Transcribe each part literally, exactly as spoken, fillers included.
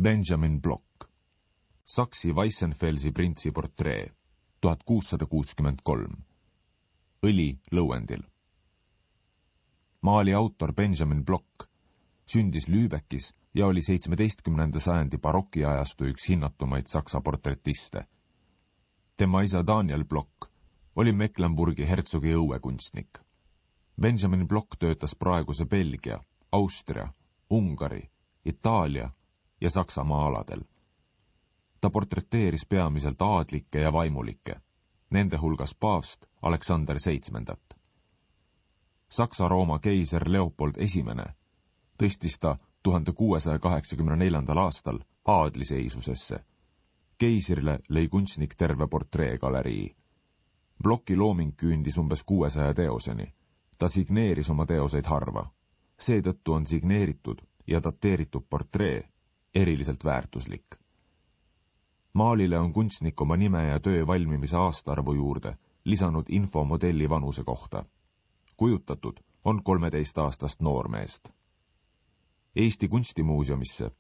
Benjamin Block. Saksi Weissenfelsi printsi portree, tuhat kuussada kuuskümmend kolm. Õli lõuendil. Maali autor Benjamin Block sündis Lübeckis ja oli seitsmeteistkümnenda sajandi barokiajastu üks hinnatumaid saksa portretiste. Tema isa Daniel Block oli Mecklenburgi hertsogi õuekunstnik. Benjamin Block töötas praeguse Belgia, Austria, Ungari, Itaalia ja Saksamaa aladel. Ta portreteeris peamiselt aadlikke ja vaimulikke, nende hulgas paavst Aleksander seitsmendat. Saksa-Rooma keiser Leopold esimene tõstis ta tuhande kuuesaja kaheksakümne neljandal aastal aadliseisusesse. Keisrile lõi kunstnik terve portreegalerii. Blocki looming küündis umbes kuuesaja teoseni. Ta signeeris oma teoseid harva. Seetõttu on signeeritud ja dateeritud portree eriliselt väärtuslik. Maalile on kunstnik oma nime ja töö valmimise aastaarvu juurde lisanud info modelli vanuse kohta. Kujutatud on kolmeteistaastast noormeest. Eesti kunstimuuseumisse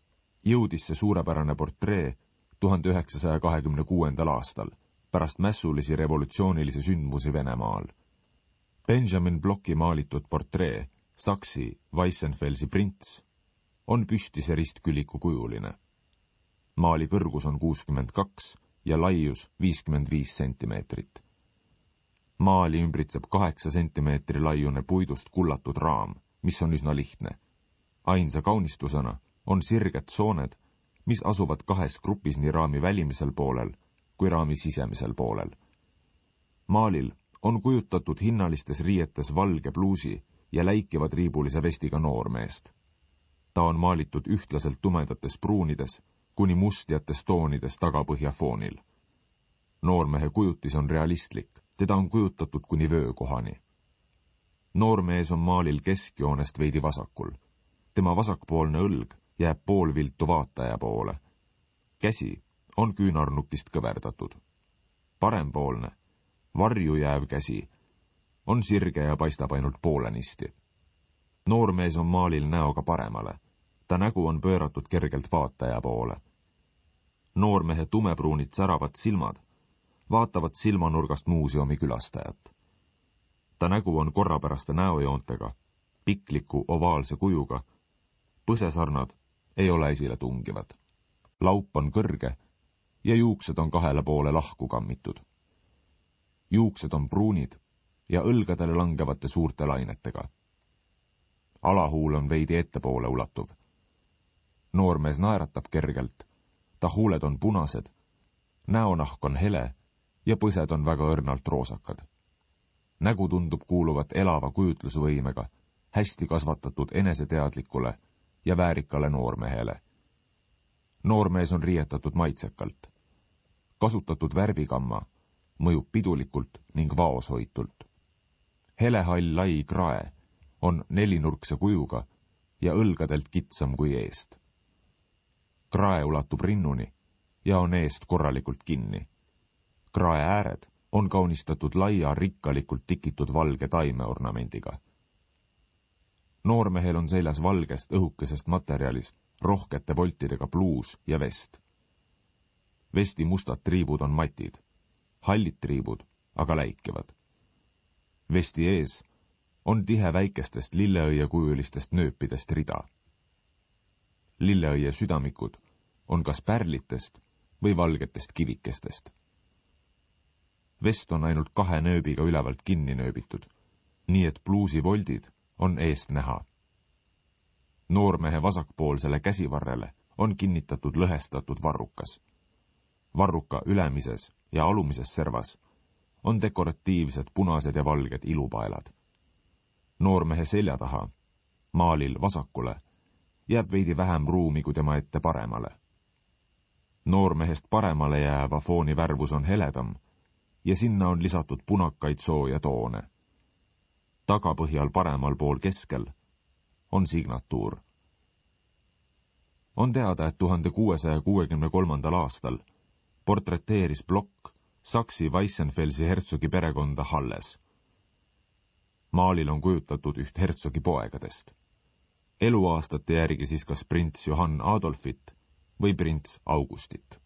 jõudis see suurepärane portree tuhande üheksasaja kahekümne kuuendal aastal, pärast mässulisi revolutsioonilisi sündmusi Venemaal. Benjamin Blocki maalitud portree, Saksi Weissenfelsi prints, on püstise ristküliku kujuline. Maali kõrgus on kuuskümmend kaks ja laius viiskümmend viis sentimeetrit. Maali ümbritseb kaheksa sentimeetri laiune puidust kullatud raam, mis on üsna lihtne. Ainsa kaunistusena on sirged sooned, mis asuvad kahes grupis nii raami välimisel poolel kui raami sisemisel poolel. Maalil on kujutatud hinnalistes riietes valge pluusi ja läikivad riibulise vestiga noormeest. Ta on maalitud ühtlaselt tumedates pruunides kuni mustjates toonides tagapõhja foonil. Noormehe kujutis on realistlik, teda on kujutatud kuni vöökohani. Noormees on maalil keskjoonest veidi vasakul. Tema vasakpoolne õlg jääb poolviltu vaataja poole. Käsi on küünarnukist kõverdatud. Parempoolne, varju jääv käsi on sirge ja paistab ainult poolenisti. Noormees on maalil näoga paremale. Ta nägu on pööratud kergelt vaataja poole. Noormehe tumepruunid säravad silmad vaatavad silmanurgast muuseumi külastajat. Ta nägu on korrapäraste näojoontega, pikliku ovaalse kujuga. Põsesarnad ei ole esile tungivad. Laup on kõrge ja juuksed on kahele poole lahku kammitud. Juuksed on pruunid ja õlgadele langevate suurte lainetega. Alahuul on veidi ettepoole ulatuv. Noormees naeratab kergelt, ta huuled on punased, näonahk on hele ja põsed on väga õrnalt roosakad. Nägu tundub kuuluvat elava kujutlusvõimega, hästi kasvatatud eneseteadlikule ja väärikale noormehele. Noormees on riietatud maitsekalt. Kasutatud värvikamma mõjub pidulikult ning vaoshoitult. Helehall lai krae on nelinurkse kujuga ja õlgadelt kitsam kui eest. Krae ulatub rinnuni ja on eest korralikult kinni. Krae ääred on kaunistatud laia rikkalikult tikitud valge taimeornamendiga. Noormehel on seljas valgest õhukesest materjalist rohkete voltidega pluus ja vest. Vesti mustad triibud on matid, hallid triibud aga läikivad. Vesti ees on tihe väikestest lilleõie kujulistest nööpidest rida. Lilleõie südamikud on kas pärlitest või valgetest kivikestest. Vest on ainult kahe nööbiga ülevalt kinni nööbitud, nii et pluusi voldid on eest näha. Noormehe vasakpoolsele käsivarrele on kinnitatud lõhestatud varrukas. Varruka ülemises ja alumises servas on dekoratiivsed punased ja valged ilupaelad. Noormehe selja taha, maalil vasakule, jääb veidi vähem ruumi kui tema ette paremale. Noormehest paremale jääva fooni värvus on heledam ja sinna on lisatud punakaid sooja toone. Tagapõhjal paremal pool keskel on signatuur. On teada, et tuhande kuuesaja kuuekümne kolmandal aastal portreteeris Block Saksi Weissenfelsi hertsogi perekonda Halles. Maalil on kujutatud üht hertsogi poegadest. Eluaastate järgi siis kas prints Johann Adolfit või prints Augustit.